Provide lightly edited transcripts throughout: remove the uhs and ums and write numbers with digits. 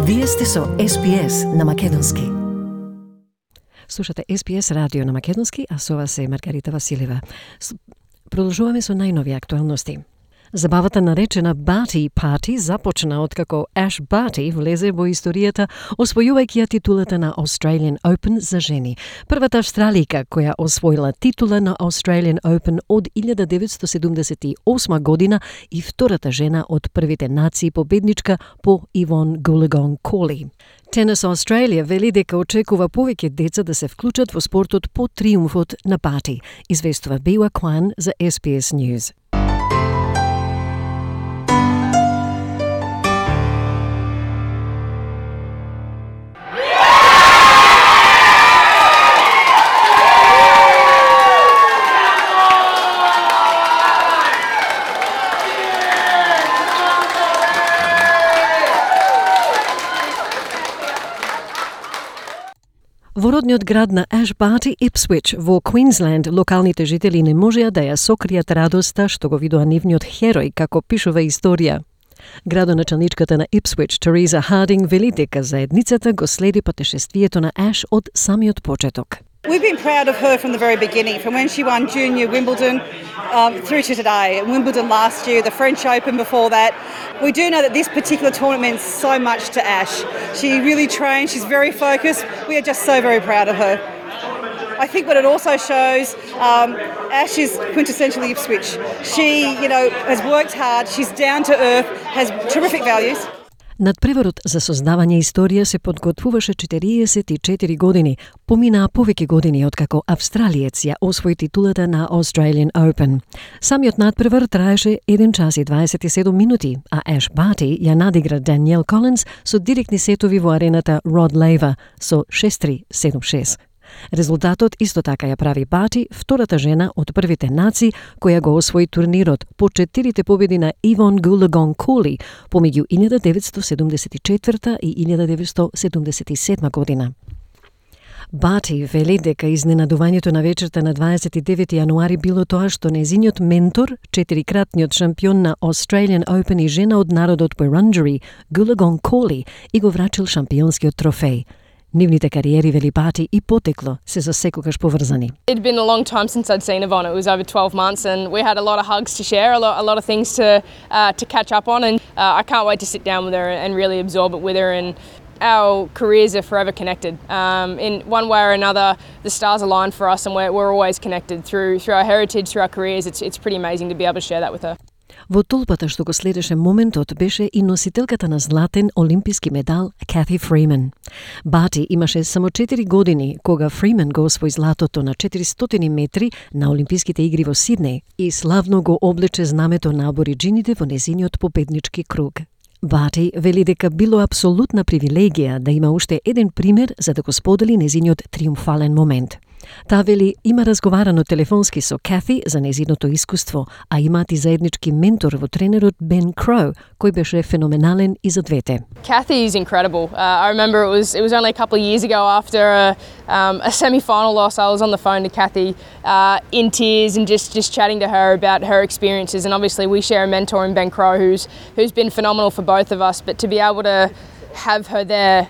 Вие сте со SPS на Македонски. Слушате SPS радио на Македонски, а со вас е Маргарита Василева. Продолжуваме со најнови актуалности. Забавата наречена Barty Party започна откако Ash Barty влезе во историјата освојувајќи ја титулата на Australian Open за жени. Првата австралијка која освоила титула на Australian Open од 1978 година и втората жена од првите нации победничка по Yvonne Goolagong-Cawley. Tennis Australia вели дека очекува повеќе деца да се вклучат во спортот по триумфот на Barty, известува Biwa Kwan за SPS News. Во родниот град на Ash Barty, Ipswich, во Квинсленд, локалните жители не можеа да ја сокријат радоста што го видоа нивниот херој, како пишува историја. Градоначалничката на Ipswich, Teresa Harding, вели дека заедницата го следи патешествието на Ash од самиот почеток. We've been proud of her from the very beginning, from when she won Junior Wimbledon through to today. Wimbledon last year, the French Open before that. We do know that this particular tournament means so much to Ash. She really trains, she's very focused. We are just so very proud of her. I think what it also shows, Ash is quintessentially Ipswich. She, has worked hard, she's down to earth, has terrific values. Надпреварот за создавање историја се подготвуваше 44 години. Поминаа повеќе години откако австралиец ја освои титулата на Australian Open. Самиот надпревар траеше 1 час и 27 минути, а Ash Barty ја надигра Danielle Collins со директни сетови во арената Rod Laver со 6-3, 7-6. Резултатот исто така ја прави Barty втората жена од првите нации која го освои турнирот по 4 победи на Yvonne Goolagong-Cawley помеѓу 1974 и 1977 година. Barty вели дека изненадувањето на вечерта на 29 јануари било тоа што незиниот ментор, 4-кратниот шампион на Australian Open и жена од народот Wurundjeri, Goolagong-Cawley, и го врачил шампионскиот трофеј. Нивните кариери, вели Barty, и потекло се за секогаш поврзани. It'd been a long time since I'd seen Yvonne. It was over 12 months and we had a lot of hugs to share, a lot of things to catch up on, and I can't wait to sit down with her and really absorb it with her, and our careers are forever connected. In one way or another, the stars align for us and we're always connected through our heritage, through our careers. It's pretty amazing to be able to share that with her. Во толпата што го следеше моментот беше и носителката на златен олимписки медал Cathy Freeman. Barty имаше само 4 години кога Freeman го освои златото на 400 метри на Олимписките игри во Сиднеј и славно го облече знамето на абориџините во незиниот победнички круг. Barty вели дека било апсолутна привилегија да има уште еден пример за да го сподели незиниот триумфален момент. Таа вели има разговарано телефонски со Cathy за незиното искуство, а имаат и заеднички ментор во тренерот Ben Crow, кој беше феноменален и за двете. Cathy is incredible. I remember it was only a couple of years ago after a semi-final loss. I was on the phone to Cathy in tears and just chatting to her about her experiences. And obviously we share a mentor in Ben Crow who's been phenomenal for both of us. But to be able to have her there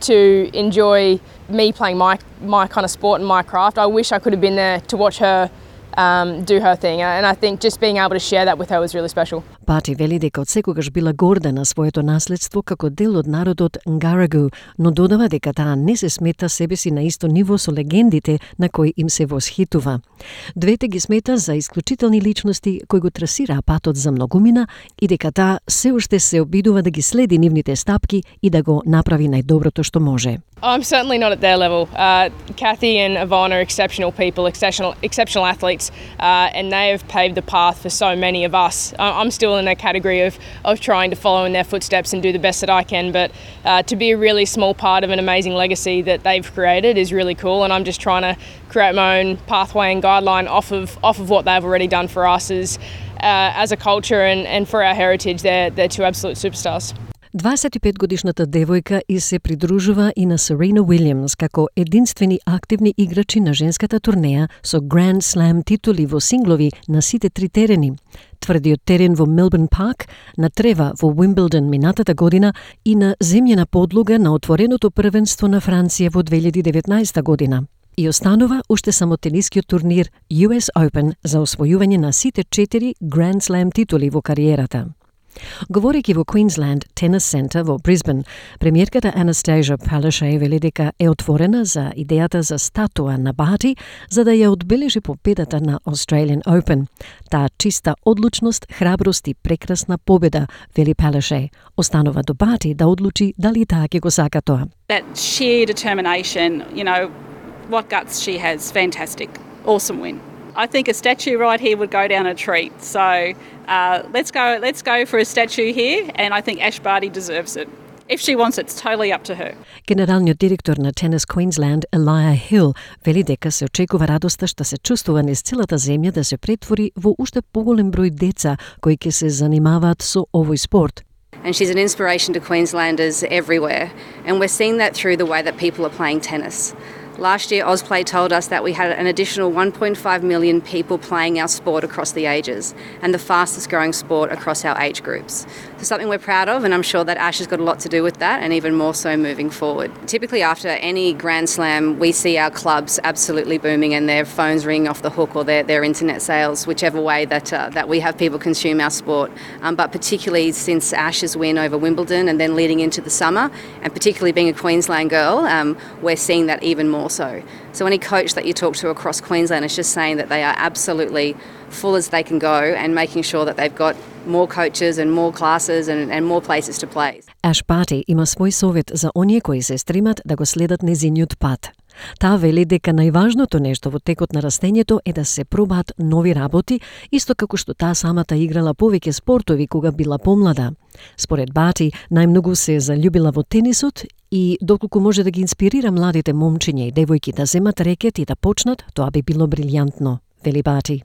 to enjoy me playing my kind of sport and my craft, I wish I could have been there to watch her do her thing, and I think just being able to share that with her was really special. Barty вели дека од секогаш била горда на своето наследство како дел од народот Ngaragu, но додава дека таа не се смета себе си на исто ниво со легендите на кои им се восхитува. Двете ги смета за исклучителни личности кои го трасираа патот за многумина и дека таа се уште се обидува да ги следи нивните стапки и да го направи најдоброто што може. I'm certainly not at their level. Cathy and Yvonne are exceptional people, exceptional athletes, and they have paved the path for so many of us. I'm still in a category of trying to follow in their footsteps and do the best that I can, but to be a really small part of an amazing legacy that they've created is really cool, and I'm just trying to create my own pathway and guideline off of what they've already done for us as a culture and for our heritage. They're two absolute superstars. 25-годишната девојка и се придружува и на Серена Уилјамс како единствени активни играчи на женската турнеја со Grand Slam титули во синглови на сите три терени. Тврдиот терен во Мелбурн Парк, на трева во Уимблдон минатата година и на земјена подлога на отвореното првенство на Франција во 2019 година. И останува уште само тенискиот турнир US Open за освојување на сите 4 Grand Slam титули во кариерата. Говорејќи во Queensland Tennis Centre во Брисбен, премиерката Anastasia Palaszczuk вели дека е отворена за идејата за статуа на Барти за да ја одбележи победата на Australian Open. Таа чиста одлучност, храброст и прекрасна победа, вели Palaszczuk. Останува до Барти да одлучи дали таа ќе го сака тоа. That sheer determination, what guts she has, fantastic, awesome win. I think a statue right here would go down a treat. So let's go for a statue here, and I think Ash Barty deserves it. If she wants it, it's totally up to her. Генералниот директор на Tennis Queensland, Elijah Hill, вели дека се очекува радоста што се чувствува низ целата земја да се претвори во уште поголем број деца кои ќе се занимаваат со овој спорт. And she's an inspiration to Queenslanders everywhere, and we're seeing that through the way that people are playing tennis. Last year, Ausplay told us that we had an additional 1.5 million people playing our sport across the ages, and the fastest growing sport across our age groups. So something we're proud of, and I'm sure that Ash has got a lot to do with that, and even more so moving forward. Typically after any Grand Slam, we see our clubs absolutely booming and their phones ringing off the hook, or their internet sales, whichever way that we have people consume our sport. But particularly since Ash's win over Wimbledon and then leading into the summer, and particularly being a Queensland girl, we're seeing that even more so any coach that you talk to across Queensland is just saying that they are absolutely full as they can go and making sure that they've got more coaches and more classes and more places to play. Ash Barty има свој совет за оние кои се стремат да го следат незиниот пат. Таа вели дека најважното нешто во текот на растењето е да се пробаат нови работи, исто како што таа самата играла повеќе спортови кога била помлада. Според Барти, најмногу се заљубила во тенисот и доколку може да ги инспирира младите момчиња и девојки да земат рекет и да почнат, тоа би било брилјантно, вели Барти.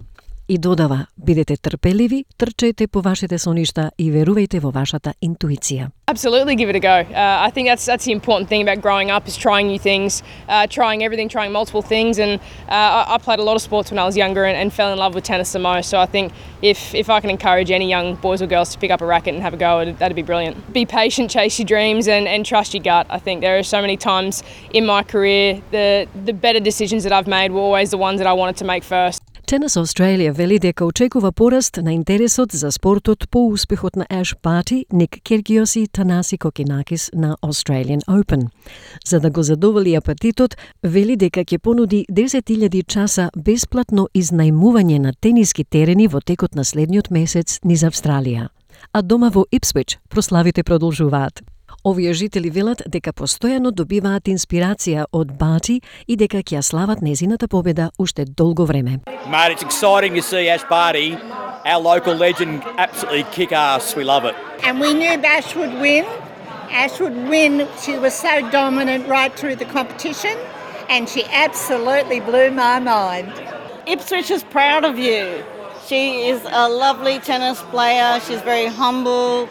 И додава, бидете трпеливи, трчајте по вашите соништа и верувајте во вашата интуиција. Absolutely give it a go. I think that's the important thing about growing up is trying new things, trying everything, trying multiple things. And I played a lot of sports when I was younger and fell in love with tennis the most. So I think if I can encourage any young boys or girls to pick up a racket and have a go, that'd be brilliant. Be patient, chase your dreams and trust your gut. I think there are so many times in my career, the better decisions that I've made were always the ones that I wanted to make first. Tennis Australia вели дека очекува пораст на интересот за спортот по успехот на Ash Barty, Ник Киргиос и Танаси Кокинакис на Australian Open. За да го задоволи апетитот, вели дека ќе понуди 10.000 часа бесплатно изнајмување на тениски терени во текот на следниот месец низ Австралија. А дома во Ипсвич прославите продолжуваат. Овие жители велат дека постојано добиваат инспирација од Barty и дека ќе ја слават незината победа уште долго време. Mate, it's exciting to see Ash Barty, our local legend, absolutely kick ass. We love it. And we knew Ash would win. Ash would win. She was so dominant right through the competition, and she absolutely blew my mind. Ipswich is proud of you. She is a lovely tennis player. She's very humble,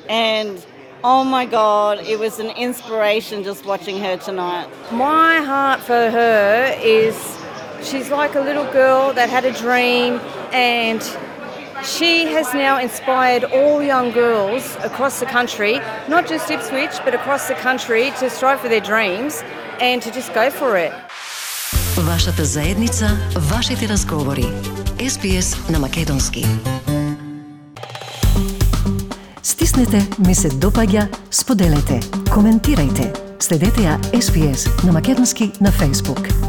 and oh my God, it was an inspiration just watching her tonight. My heart for her is she's like a little girl that had a dream, and she has now inspired all young girls across the country, not just Ipswich, but across the country to strive for their dreams and to just go for it. Вашата заедница, вашите разговори. SBS на македонски. Стиснете, ми се допаѓа, споделете, коментирајте. Следете ја SBS на македонски на Facebook.